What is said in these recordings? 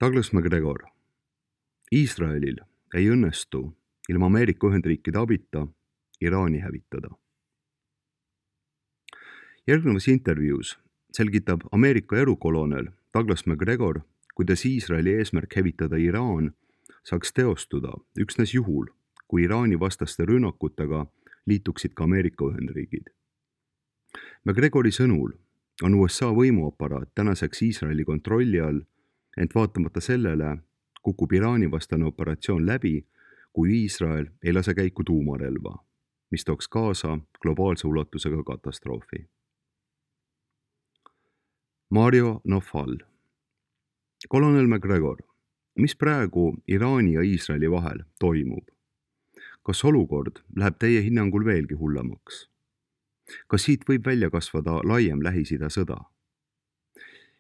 Douglas MacGregor. Iisraelil ei õnnestu ilma Ameerika Ühendriikide abita Iraani hävitada. Järgnevas intervjuus selgitab Ameerika erukolonel Douglas MacGregor, kuidas Iisraeli eesmärk hävitada Iraan saaks teostuda üksnes juhul, kui Iraani vastaste rünnakutega liituksid ka Ameerika Ühendriigid. MacGregori sõnul on USA võimuaparaat tänaseks Iisraeli kontrolli all, ent vaatamata sellele kukub Iraani vastane operatsioon läbi, kui Iisrael ei lase käiku tuumarelva, mis tooks kaasa globaalse ulatusega katastroofi. Mario Nafal. Kolonel MacGregor, mis praegu Iraani ja Iisraeli vahel toimub? Kas olukord läheb teie hinnangul veelgi hullemaks? Kas siit võib välja kasvada laiem Lähis-Ida sõda?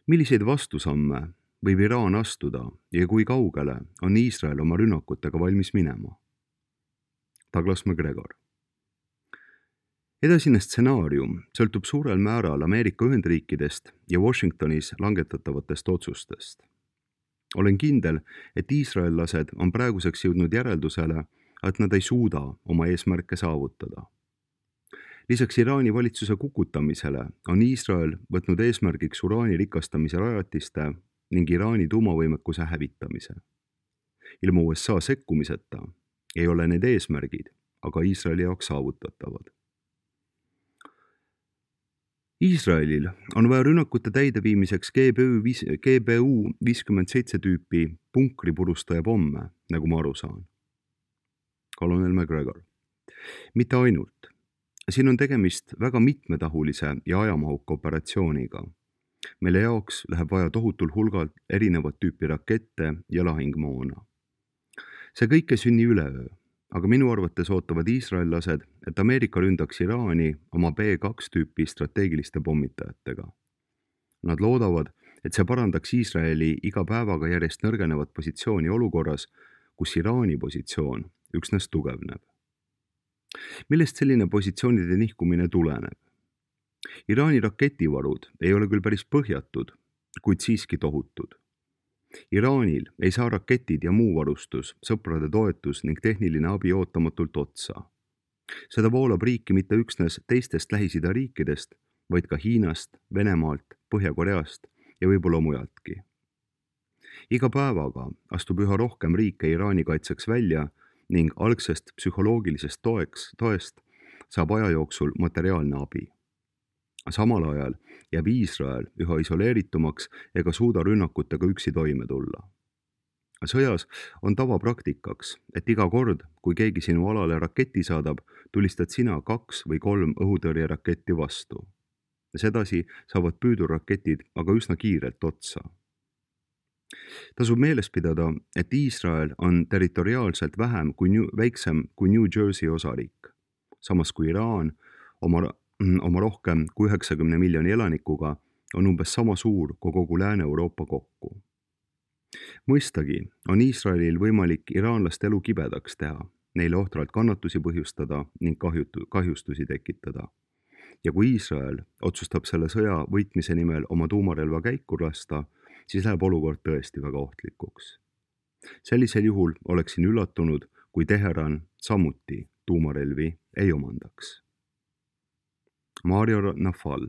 Milliseid vastusamme võib Iraan astuda ja kui kaugele on Iisrael oma rünnakutega valmis minema? Douglas MacGregor. Edasine stsenaarium sõltub suurel määral Ameerika Ühendriikidest ja Washingtonis langetatavatest otsustest. Olen kindel, et iisraellased on praeguseks jõudnud järeldusele, et nad ei suuda oma eesmärke saavutada. Lisaks Iraani valitsuse kukutamisele on Iisrael võtnud eesmärgiks uraani rikastamise rajatiste ning Iraani tuumavõimekuse hävitamise. Ilma USA sekkumiseta ei ole need eesmärgid, aga Iisraeli jaoks saavutatavad. Iisraelil on vaja rünnakute täideviimiseks GBU 57 tüüpi punkripurustaja pomme, nagu ma aru saan. Kolonel MacGregor. Mitte ainult. Siin on tegemist väga mitmetahulise ja ajamahuka operatsiooniga. Meile jaoks läheb vaja tohutul hulgal erinevat tüüpi rakette ja lahingmoona. See kõik ei sünni üleöö, aga minu arvates ootavad iisraellased, et Ameerika ründaks Iraani oma B2 tüüpi strateegiliste pommitajatega. Nad loodavad, et see parandaks Iisraeli iga päevaga järjest nõrgenevat positsiooni olukorras, kus Iraani positsioon üksnes tugevneb. Millest selline positsioonide nihkumine tuleneb? Iraani raketivarud ei ole küll päris põhjatud, kuid siiski tohutud. Iraanil ei saa raketid ja muu varustus, sõprade toetus ning tehniline abi ootamatult otsa. Seda voolab riiki mitte üksnes teistest Lähis-Ida riikidest, vaid ka Hiinast, Venemaalt, Põhja-Koreast ja võib-olla mujaltki. Iga päevaga astub üha rohkem riike Iraani kaitseks välja ning algsest psühholoogilisest toest saab aja jooksul materiaalne abi. Samal ajal jääb Iisrael üha isoleeritumaks ega suuda rünnakutega üksi toime tulla. Sõjas on tavapraktikaks, et iga kord, kui keegi sinu alale raketi saadab, tulistad sina 2 või 3 õhutõrjeraketti vastu. Sedasi saavad püüdurraketid aga üsna kiirelt otsa. Tasub meeles pidada, et Iisrael on territoriaalselt väiksem kui New Jersey osariik, samas kui Iraan oma rohkem kui 90 miljoni elanikuga on umbes sama suur kui kogu Lääne-Euroopa kokku. Mõistagi on Iisraelil võimalik iraanlaste elu kibedaks teha, neile ohtralt kannatusi põhjustada ning kahjustusi tekitada. Ja kui Iisrael otsustab selle sõja võitmise nimel oma tuumarelva käiku lasta, siis läheb olukord tõesti väga ohtlikuks. Sellisel juhul oleksin üllatunud, kui Teheran samuti tuumarelvi ei omandaks. Mario Nafal.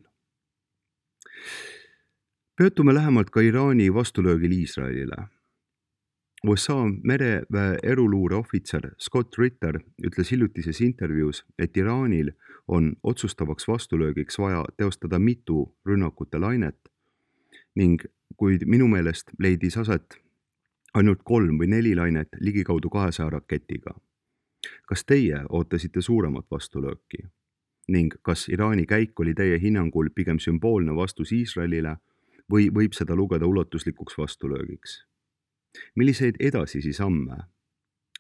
Peatume lähemalt ka Iraani vastulöögil Iisraelile. USA mereväe eruluure ohvitser Scott Ritter ütles hiljutises intervjuus, et Iraanil on otsustavaks vastulöögiks vaja teostada mitu rünnakute lainet ning kuid minu meelest leidis aset ainult 3 või 4 lainet ligikaudu 200 raketiga. Kas teie ootasite suuremat vastulööki? Ning kas Iraani käik oli teie hinnangul pigem sümboolne vastus Iisraelile või võib seda lugeda ulatuslikuks vastulöögiks? Milliseid edasisi samme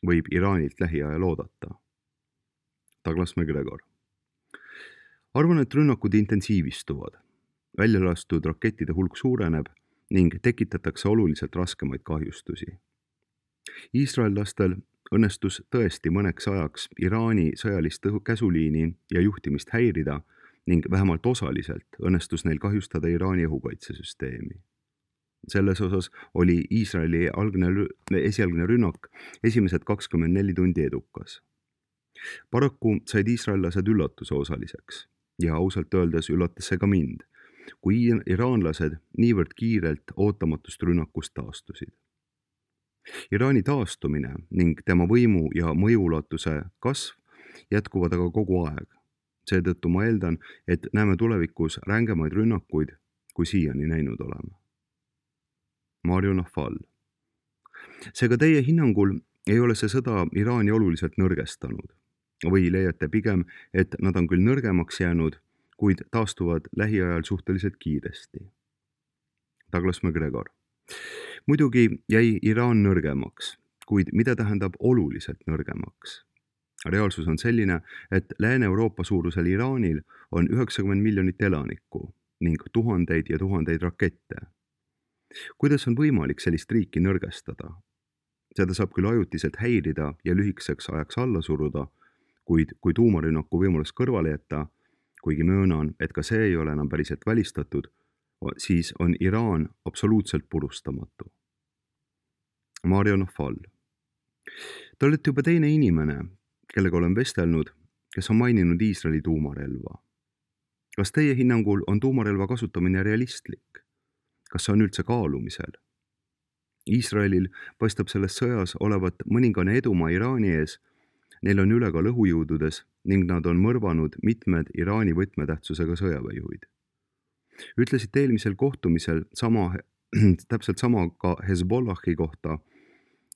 võib Iraanilt lähiajal oodata? Douglas MacGregor. Arvan, et rünnakud intensiivistuvad. Väljalastud rakettide hulk suureneb ning tekitatakse oluliselt raskemaid kahjustusi. Iisraellastel õnnestus tõesti mõneks ajaks Iraani sõjalist käsuliini ja juhtimist häirida ning vähemalt osaliselt õnnestus neil kahjustada Iraani õhukaitsesüsteemi. Selles osas oli Iisraeli esialgne rünnak esimesed 24 tundi edukas. Paraku said iisraellased üllatuse osaliseks ja ausalt öeldes üllatas see ka mind, kui iraanlased niivõrd kiirelt ootamatust rünnakust taastusid. Iraani taastumine ning tema võimu ja mõjuulatuse kasv jätkuvad aga kogu aeg. Seetõttu ma eeldan, et näeme tulevikus rängemaid rünnakuid, kui siiani näinud oleme. Mario Nafal. Seega teie hinnangul ei ole see sõda Iraani oluliselt nõrgestanud või leiate pigem, et nad on küll nõrgemaks jäänud, kuid taastuvad lähiajal suhteliselt kiiresti. Douglas McGregor. Muidugi jäi Iraan nõrgemaks, kuid mida tähendab oluliselt nõrgemaks? Reaalsus on selline, et Lääne-Euroopa suurusel Iraanil on 90 miljonit elanikku ning tuhandeid ja tuhandeid rakette. Kuidas on võimalik sellist riiki nõrgestada? Seda saab küll ajutiselt häirida ja lühikeseks ajaks alla suruda, kuid kui tuumarünnaku võimalus kõrvale jätta, kuigi möönan, et ka see ei ole enam päriselt välistatud, siis on Iraan absoluutselt purustamatu. Mario Nafal. Te olete juba teine inimene, kellega olen vestelnud, kes on maininud Iisraeli tuumarelva. Kas teie hinnangul on tuumarelva kasutamine realistlik? Kas see on üldse kaalumisel? Iisraelil paistab selles sõjas olevat mõningane edumaa Iraani ees, neil on ülekaal õhujõududes ning nad on mõrvanud mitmed Iraani võtmetähtsusega sõjaväejuhid. Ütlesite eelmisel kohtumisel täpselt sama ka Hezbollahi kohta,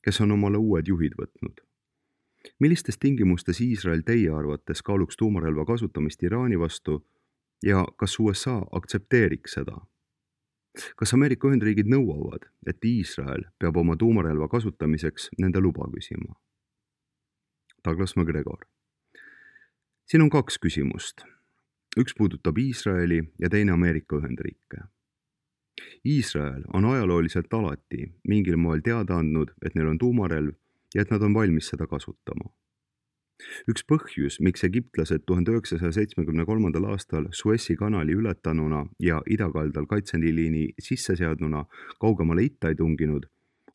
kes on omale uued juhid võtnud. Millistes tingimustes Iisrael teie arvates kaaluks tuumarelva kasutamist Iraani vastu ja kas USA aktsepteeriks seda? Kas Ameerika Ühendriigid nõuavad, et Iisrael peab oma tuumarelva kasutamiseks nende luba küsima? Douglas McGregor. Siin on 2 küsimust. Üks puudutab Iisraeli ja teine Ameerika Ühendriike. Iisrael on ajalooliselt alati mingil moel teada andnud, et neil on tuumarelv ja et nad on valmis seda kasutama. Üks põhjus, miks egiptlased 1973. aastal Suessi kanali ületanuna ja idakaldal kaitseliini sisse seadnuna kaugemale itta ei tunginud,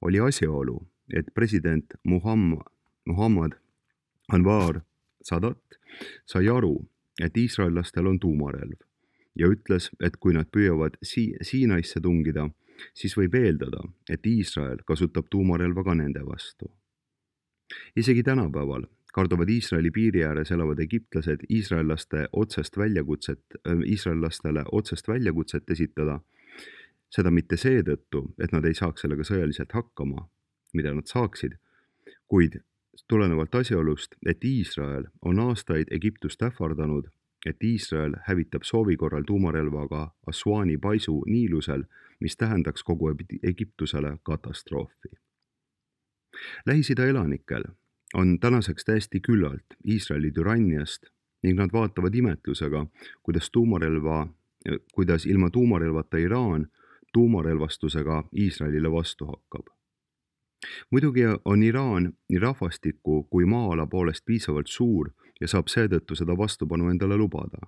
oli asjaolu, et president Muhammad Anwar Sadat sai aru, et iisraellastel on tuumarelv ja ütles, et kui nad püüavad Siinaisse tungida, siis võib eeldada, et Iisrael kasutab tuumarelva ka nende vastu. Isegi tänapäeval kardavad Iisraeli piiri ääres elavad egiptlased iisraellastele otsest väljakutset esitada, seda mitte seetõttu, et nad ei saaks sellega sõjaliselt hakkama, mida nad saaksid, kuid tulenevalt asjaolust, et Iisrael on aastaid Egiptust ähvardanud, et Iisrael hävitab soovi korral tuumarelvaga Assuani paisu Niilusel, mis tähendaks kogu Egiptusele katastroofi. Lähis-Ida elanikel on tänaseks täiesti küllalt Iisraeli türanniast ning nad vaatavad imetlusega, kuidas ilma tuumarelvata Iraan tuumarelvastusega Iisraelile vastu hakkab. Muidugi on Iraan nii rahvastiku kui maa-ala poolest piisavalt suur ja saab seetõttu seda vastupanu endale lubada.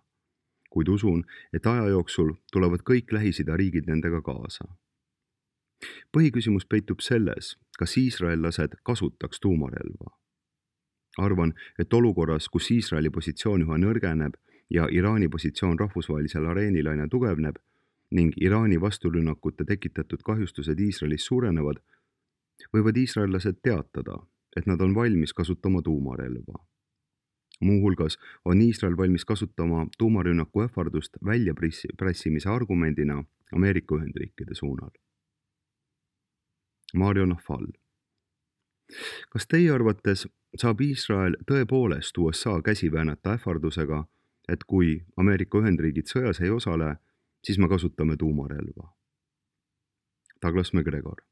Kuid usun, et aja jooksul tulevad kõik Lähis-Ida riigid nendega kaasa. Põhiküsimus peitub selles, kas iisraellased kasutaks tuumarelva. Arvan, et olukorras, kus Iisraeli positsioon üha nõrgeneb ja Iraani positsioon rahvusvahelisel areenil aina tugevneb ning Iraani vasturünnakute tekitatud kahjustused Iisraelis suurenevad, võivad iisraellased teatada, et nad on valmis kasutama tuumarelva. Muuhulgas on Iisrael valmis kasutama tuumarünnaku ähvardust väljapressimise argumendina Ameerika Ühendriikide suunal. Mario Nafal. Kas teie arvates saab Iisrael tõepoolest USA käsi väänata ähvardusega, et kui Ameerika Ühendriigid sõjas ei osale, siis me kasutame tuumarelva? Douglas McGregor.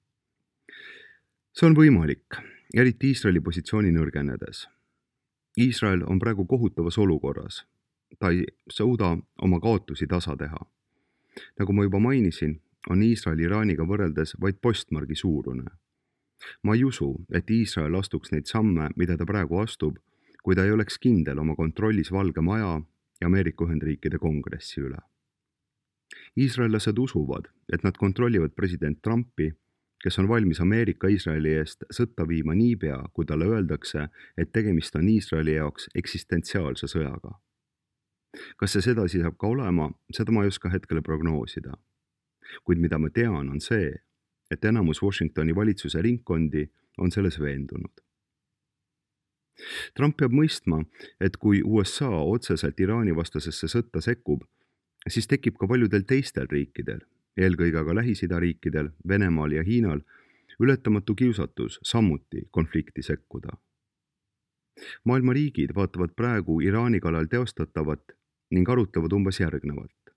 See on võimalik, eriti Iisraeli positsiooni nõrgenedes. Iisrael on praegu kohutavas olukorras. Ta ei suuda oma kaotusi tasa teha. Nagu ma juba mainisin, on Iisrael Iraaniga võrreldes vaid postmargi suurune. Ma ei usu, et Iisrael astuks neid samme, mida ta praegu astub, kui ta ei oleks kindel oma kontrollis Valge Maja ja Ameerika Ühendriikide kongressi üle. Iisraellased usuvad, et nad kontrollivad president Trumpi, kes on valmis Ameerika Iisraeli eest sõtta viima niipea, kui talle öeldakse, et tegemist on Iisraeli jaoks eksistentsiaalse sõjaga. Kas see sedasi saab ka olema, seda ma ei oska hetkel prognoosida. Kuid mida ma tean, on see, et enamus Washingtoni valitsuse ringkondi on selles veendunud. Trump peab mõistma, et kui USA otseselt Iraani vastasesse sõtta sekkub, siis tekib ka paljudel teistel riikidel, eelkõige aga Lähis-Ida riikidel, Venemaal ja Hiinal, ületamatu kiusatus samuti konflikti sekkuda. Maailma riigid vaatavad praegu Iraani kallal teostatavat ning arutlevad umbes järgnevalt.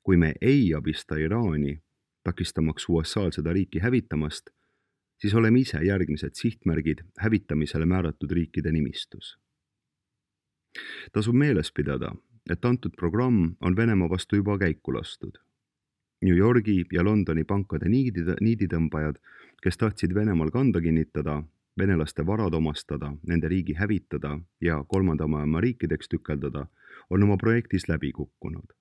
Kui me ei abista Iraani, takistamaks USA-l seda riiki hävitamast, siis oleme ise järgmised sihtmärgid hävitamisele määratud riikide nimistus. Tasub meeles pidada, et antud programm on Venemaa vastu juba käiku lastud. New Yorgi ja Londoni pankade niiditõmbajad, kes tahtsid Venemaal kanda kinnitada, venelaste varad omastada, nende riigi hävitada ja kolmanda maailma riikideks tükeldada, on oma projektis läbi kukkunud.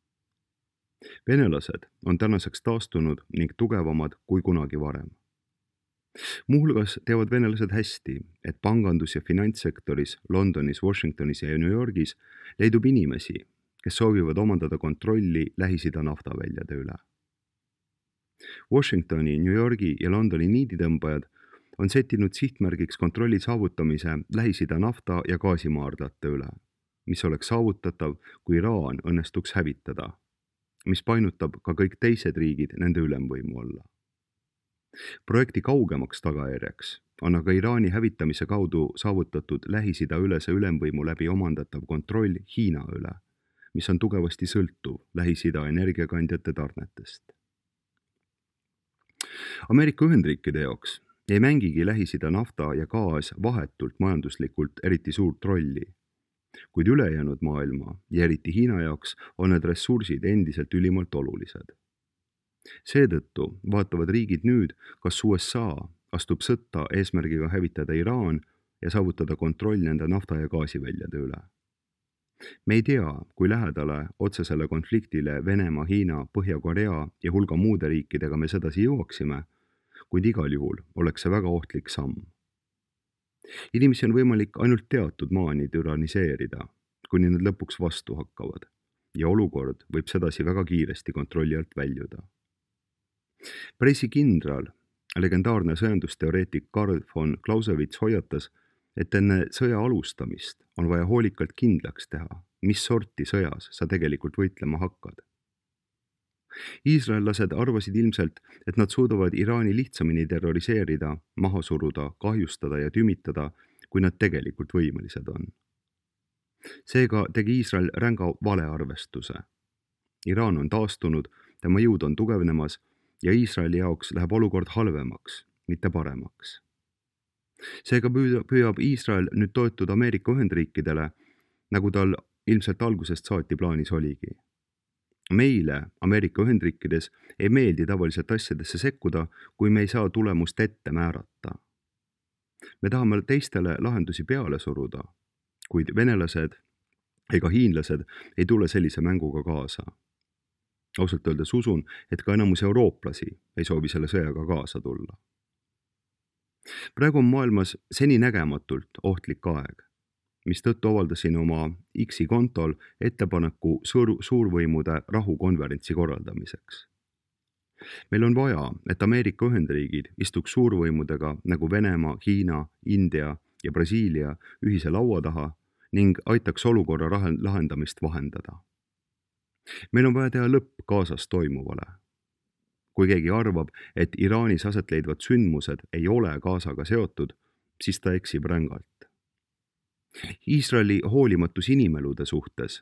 Venelased on tänaseks taastunud ning tugevamad kui kunagi varem. Muuhulgas teavad venelased hästi, et pangandus- ja finantssektoris Londonis, Washingtonis ja New Yorgis leidub inimesi, kes soovivad omandada kontrolli Lähis-Ida naftaväljade üle. Washingtoni, New Yorgi ja Londoni niiditõmbajad on settinud sihtmärgiks kontrolli saavutamise Lähis-Ida nafta- ja gaasimaardlate üle, mis oleks saavutatav, kui Iraan õnnestuks hävitada, mis painutab ka kõik teised riigid nende ülemvõimu alla. Projekti kaugemaks tagajärjeks on aga Iraani hävitamise kaudu saavutatud Lähis-Ida ülese ülemvõimu läbi omandatav kontroll Hiina üle, mis on tugevasti sõltuv Lähis-Ida energiakandjate tarnetest. Ameerika Ühendriikide jaoks ei mängigi Lähis-Ida nafta ja gaas vahetult majanduslikult eriti suurt rolli, kuid ülejäänud maailma ja eriti Hiina jaoks on need ressursid endiselt ülimalt olulised. Seetõttu vaatavad riigid nüüd, kas USA astub sõtta eesmärgiga hävitada Iraan ja saavutada kontroll nende nafta- ja gaasiväljade üle. Me ei tea, kui lähedale otsesele konfliktile Venemaa, Hiina, Põhja-Korea ja hulga muude riikidega me sedasi jõuaksime, kuid igal juhul oleks see väga ohtlik samm. Inimesi on võimalik ainult teatud maani türaniseerida, kuni nad lõpuks vastu hakkavad ja olukord võib sedasi väga kiiresti kontrolli alt väljuda. Pressikindral, legendaarne sõjandusteoreetik Karl von Clausewitz hoiatas, et enne sõja alustamist on vaja hoolikalt kindlaks teha, mis sorti sõjas sa tegelikult võitlema hakkad. Iisraellased arvasid ilmselt, et nad suudavad Iraani lihtsamini terroriseerida, maha suruda, kahjustada ja tümitada, kui nad tegelikult võimelised on. Seega tegi Iisrael ränga valearvestuse. Iraan on taastunud, tema jõud on tugevnemas ja Iisraeli jaoks läheb olukord halvemaks, mitte paremaks. Seega püüab Iisrael nüüd toetuda Ameerika Ühendriikidele, nagu tal ilmselt algusest saati plaanis oligi. Meile Ameerika Ühendriikides ei meeldi tavaliselt asjadesse sekkuda, kui me ei saa tulemust ette määrata. Me tahame teistele lahendusi peale suruda, kuid venelased ega hiinlased ei tule sellise mänguga kaasa. Ausalt öeldes usun, et ka enamus eurooplasi ei soovi selle sõjaga kaasa tulla. Praegu on maailmas seninägematult ohtlik aeg, mistõttu avaldasin oma X-i kontol ettepaneku suurvõimude rahukonverentsi korraldamiseks. Meil on vaja, et Ameerika Ühendriigid istuks suurvõimudega nagu Venemaa, Hiina, India ja Brasiilia ühise laua taha ning aitaks olukorra lahendamist vahendada. Meil on vaja teha lõpp Gazas toimuvale. Kui keegi arvab, et Iraanis aset leidvad sündmused ei ole Gazaga seotud, siis ta eksib rängalt. Iisraeli hoolimatus inimelude suhtes,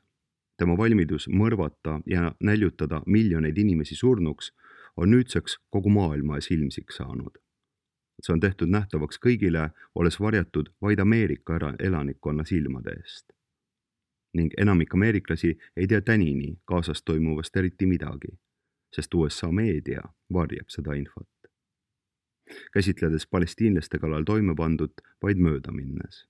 tema valmidus mõrvata ja näljutada miljoneid inimesi surnuks, on nüüdseks kogu maailma ees ilmsiks saanud. See on tehtud nähtavaks kõigile, olles varjatud vaid Ameerika elanikkonna silmade eest. Ning enamik ameeriklasi ei tea tänini Gazas toimuvast eriti midagi, sest USA meedia varjab seda infot, käsitledes palestiinlaste kallal toime pandut vaid mööda minnes.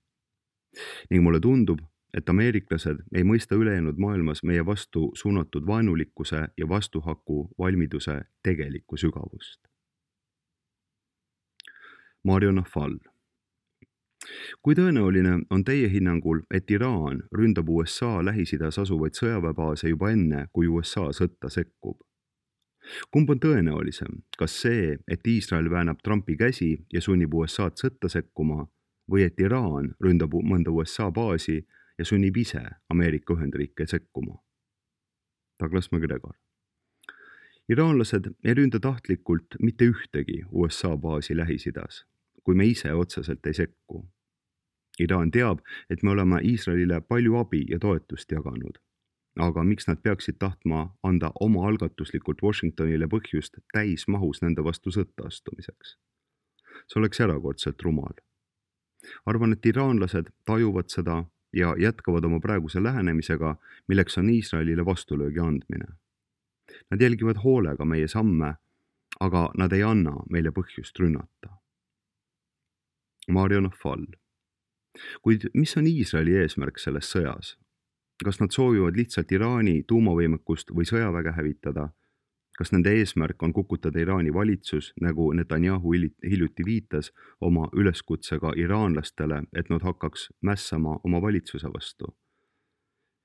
Ning mulle tundub, et ameeriklased ei mõista ülejäänud maailmas meie vastu suunatud vaenulikkuse ja vastuhaku valmiduse tegelikku sügavust. Mario Nafal. Kui tõenäoline on teie hinnangul, et Iraan ründab USA Lähis-Idas asuvaid sõjaväebaase juba enne, kui USA sõtta sekkub? Kumb on tõenäolisem, kas see, et Iisrael väänab Trumpi käsi ja sunnib USA'd sõtta sekkuma või et Iraan ründab mõnda USA baasi ja sunnib ise Ameerika Ühendriike sekkuma? Douglas McGregor. Iraanlased ei ründa tahtlikult mitte ühtegi USA baasi Lähis-Idas, kui me ise otseselt ei sekku. Iraan teab, et me oleme Iisraelile palju abi ja toetust jaganud. Aga miks nad peaksid tahtma anda oma algatuslikult Washingtonile põhjust täismahus nende vastu sõtta astumiseks? See oleks erakordselt rumal. Arvan, et iraanlased tajuvad seda ja jätkavad oma praeguse lähenemisega, milleks on Iisraelile vastulöögi andmine. Nad jälgivad hoolega meie samme, aga nad ei anna meile põhjust rünnata. Mario Nafal. Kuid mis on Iisraeli eesmärk selles sõjas? Kas nad soovivad lihtsalt Iraani tuumavõimekust või sõjaväge hävitada? Kas nende eesmärk on kukutada Iraani valitsus, nagu Netanyahu hiljuti viitas oma üleskutsega iraanlastele, et nad hakkaks mässama oma valitsuse vastu?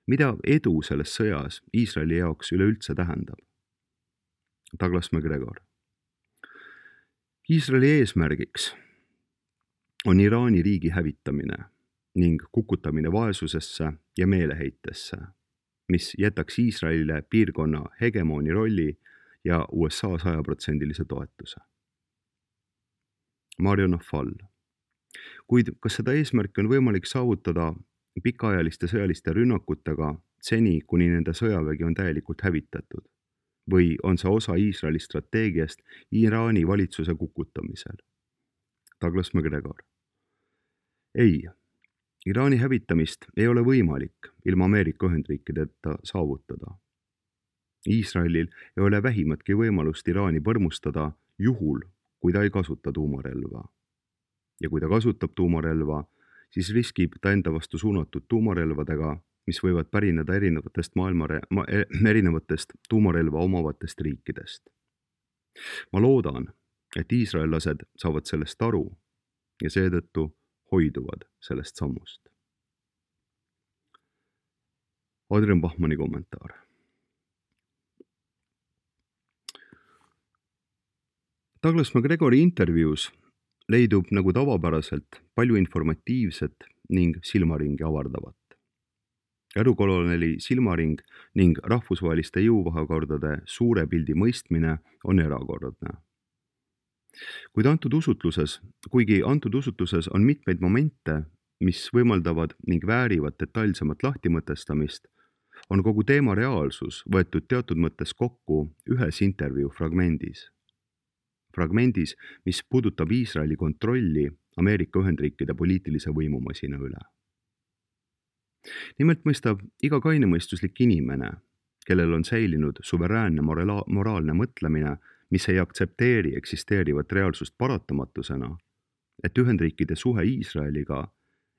Mida edu selles sõjas Iisraeli jaoks üleüldse tähendab? Douglas McGregor. Iisraeli eesmärgiks on Iraani riigi hävitamine ning kukutamine vaesusesse ja meeleheitesse, mis jätaks Iisraelile piirkonna hegemooni rolli ja USA 100% toetuse. Mario Nafal. Kuid kas seda eesmärki on võimalik saavutada pikaajaliste sõjaliste rünnakutega seni, kuni nende sõjavägi on täielikult hävitatud? Või on see osa Iisraeli strateegiast Iraani valitsuse kukutamisel? Douglas McGregor. Ei. Iraani hävitamist ei ole võimalik ilma Ameerika Ühendriikideta saavutada. Iisraelil ei ole vähimatki võimalust Iraani põrmustada juhul, kui ta ei kasuta tuumarelva. Ja kui ta kasutab tuumarelva, siis riskib ta enda vastu suunatud tuumarelvadega, mis võivad pärineda erinevatest tuumarelva omavatest riikidest. Ma loodan, et iisraellased saavad sellest aru ja seetõttu hoiduvad sellest sammust. Adrian Bachmanni kommentaar. Douglas McGregori intervjuus leidub nagu tavapäraselt palju informatiivset ning silmaringi avardavat. Erukoloneli silmaring ning rahvusvaheliste jõuvahekordade suure pildi mõistmine on erakordne. Kuigi antud usutluses on mitmeid momente, mis võimaldavad ning väärivad detailsemat lahtimõtestamist, on kogu teema reaalsus võetud teatud mõttes kokku ühes intervjuu fragmendis. Fragmendis, mis puudutab Iisraeli kontrolli Ameerika Ühendriikide poliitilise võimumasina üle. Nimelt mõistab iga kainemõistuslik inimene, kellel on säilinud suveräänne moraalne mõtlemine, mis ei aktsepteeri eksisteerivat reaalsust paratamatusena, et Ühendriikide suhe Iisraeliga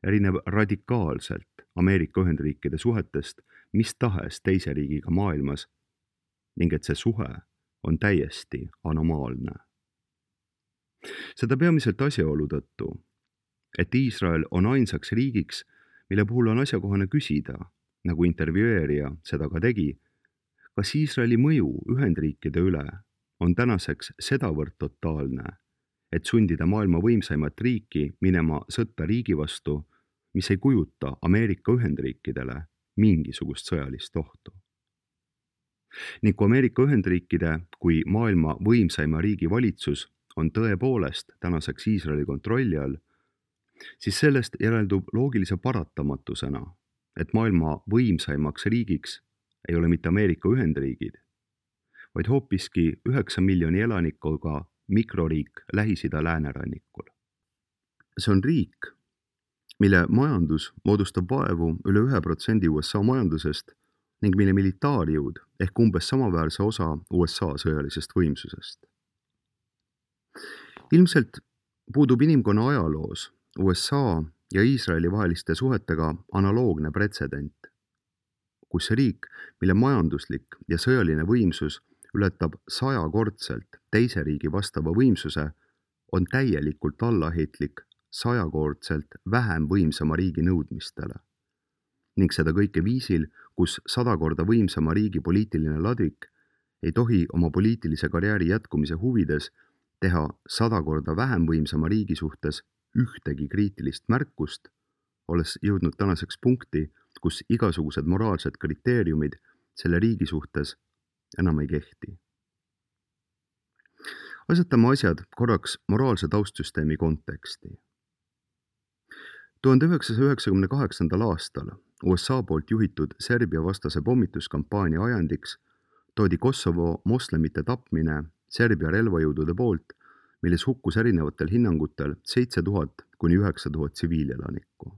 erineb radikaalselt Ameerika Ühendriikide suhetest mis tahes teise riigiga maailmas ning et see suhe on täiesti anomaalne. Seda peamiselt asjaolu tõttu, et Iisrael on ainsaks riigiks, mille puhul on asjakohane küsida, nagu intervjueerija seda ka tegi, kas Iisraeli mõju Ühendriikide üle on tänaseks sedavõrd totaalne, et sundida maailma võimsaimat riiki minema sõtta riigi vastu, mis ei kujuta Ameerika Ühendriikidele mingisugust sõjalist ohtu. Ning kui Ameerika Ühendriikide kui maailma võimsaima riigi valitsus on tõepoolest tänaseks Iisraeli kontrolli all, siis sellest järeldub loogilise paratamatusena, et maailma võimsaimaks riigiks ei ole mitte Ameerika Ühendriigid, vaid hoopiski 9 miljoni elanikuga mikroriik Lähis-Ida läänerannikul. See on riik, mille majandus moodustab vaevu üle 1% USA majandusest ning mille militaarjõud ehk umbes samaväärse osa USA sõjalisest võimsusest. Ilmselt puudub inimkonna ajaloos USA ja Iisraeli vaheliste suhetega analoogne pretsedent, kus see riik, mille majanduslik ja sõjaline võimsus ületab 100-kordselt teise riigi vastava võimsuse, on täielikult allaheitlik 100-kordselt vähem võimsama riigi nõudmistele. Ning seda kõike viisil, kus 100 korda võimsama riigi poliitiline ladvik ei tohi oma poliitilise karjääri jätkumise huvides teha 100 korda vähem võimsama riigi suhtes ühtegi kriitilist märkust, olles jõudnud tänaseks punkti, kus igasugused moraalsed kriteeriumid selle riigi suhtes enam ei kehti. Asetame asjad korraks moraalse taustsüsteemi konteksti. 1998. aastal USA poolt juhitud Serbia vastase pommituskampaania ajandiks toodi Kosovo moslemite tapmine Serbia relvajõudude poolt, milles hukkus erinevatel hinnangutel 7000 kuni 9000 tsiviilelanikku.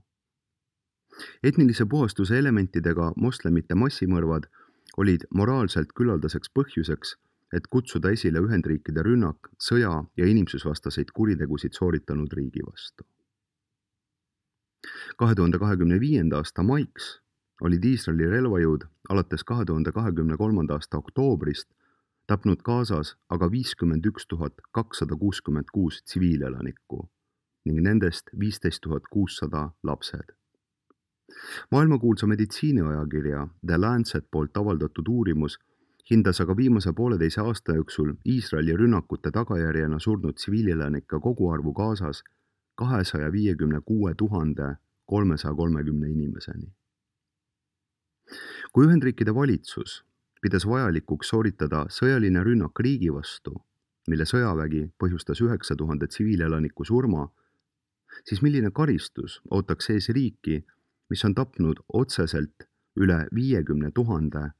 Etnilise puhastuse elementidega moslemite massimõrvad olid moraalselt küllaldaseks põhjuseks, et kutsuda esile Ühendriikide rünnak sõja ja inimsusvastaseid kuritegusid sooritanud riigi vastu. 2025. aasta maiks olid Iisraeli relvajõud alates 2023. aasta oktoobrist tapnud Gazas aga 51 266 tsiviilelanikku ning nendest 15 600 lapsed. Maailmakuulsa meditsiiniajakirja The Lancet poolt avaldatud uurimus hindas aga viimase 1,5 aasta jooksul Iisraeli rünnakute tagajärjena surnud tsiviilelanike koguarvu Gazas 256 330 inimeseni. Kui Ühendriikide valitsus pidas vajalikuks sooritada sõjaline rünnak riigi vastu, mille sõjavägi põhjustas 9000 tsiviilelaniku surma, siis milline karistus ootaks ees riiki, mis on tapnud otseselt üle 50 000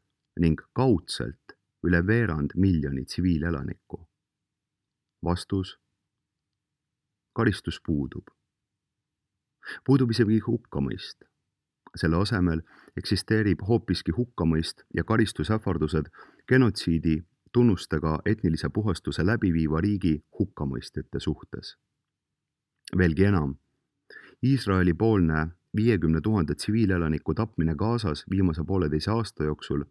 ning kaudselt üle 250 000 tsiviilelanikku? Vastus: karistus puudub. Puudub isegi hukkamõist. Selle asemel eksisteerib hoopiski hukkamõist ja karistusähvardused genotsiidi tunnustega etnilise puhastuse läbiviiva riigi hukkamõistjate suhtes. Veelgi enam, Iisraeli poolne 50 000 tsiviilelaniku tapmine Gazas viimase 1,5 aasta jooksul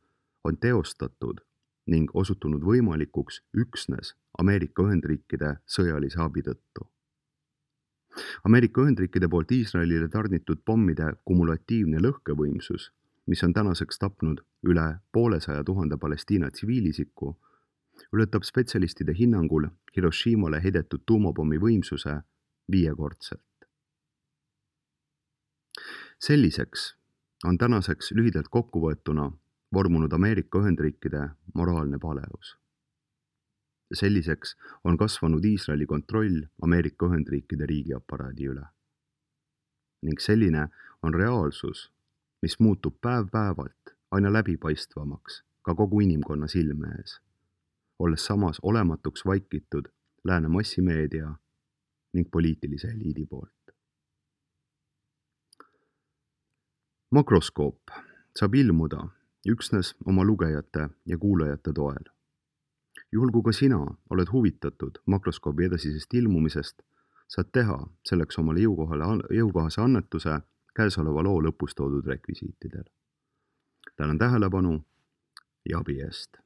on teostatud ning osutunud võimalikuks üksnes Ameerika Ühendriikide sõjalise abi tõttu. Ameerika Ühendriikide poolt Iisraelile tarnitud pommide kumulatiivne lõhkevõimsus, mis on tänaseks tapnud üle 200 000 Palestiina tsiviilisiku, ületab spetsialistide hinnangul Hiroshimale heidetud tuumapommi võimsuse 5-kordselt. Selliseks on tänaseks lühidalt kokkuvõetuna vormunud Ameerika Ühendriikide moraalne paleus. Selliseks on kasvanud Iisraeli kontroll Ameerika Ühendriikide riigiaparaadi üle. Ning selline on reaalsus, mis muutub päev-päevalt aina läbipaistvamaks ka kogu inimkonna silme ees, olles samas olematuks vaikitud lääne massimeedia ning poliitilise eliidi poolt. Makroskoop saab ilmuda üksnes oma lugejate ja kuulajate toel. Juhul kui ka sina oled huvitatud makroskoobi edasisest ilmumisest, saad teha selleks omale jõukohase annetuse käesoleva loo lõpus toodud rekvisiitidel. Tänan tähelepanu ja abi eest!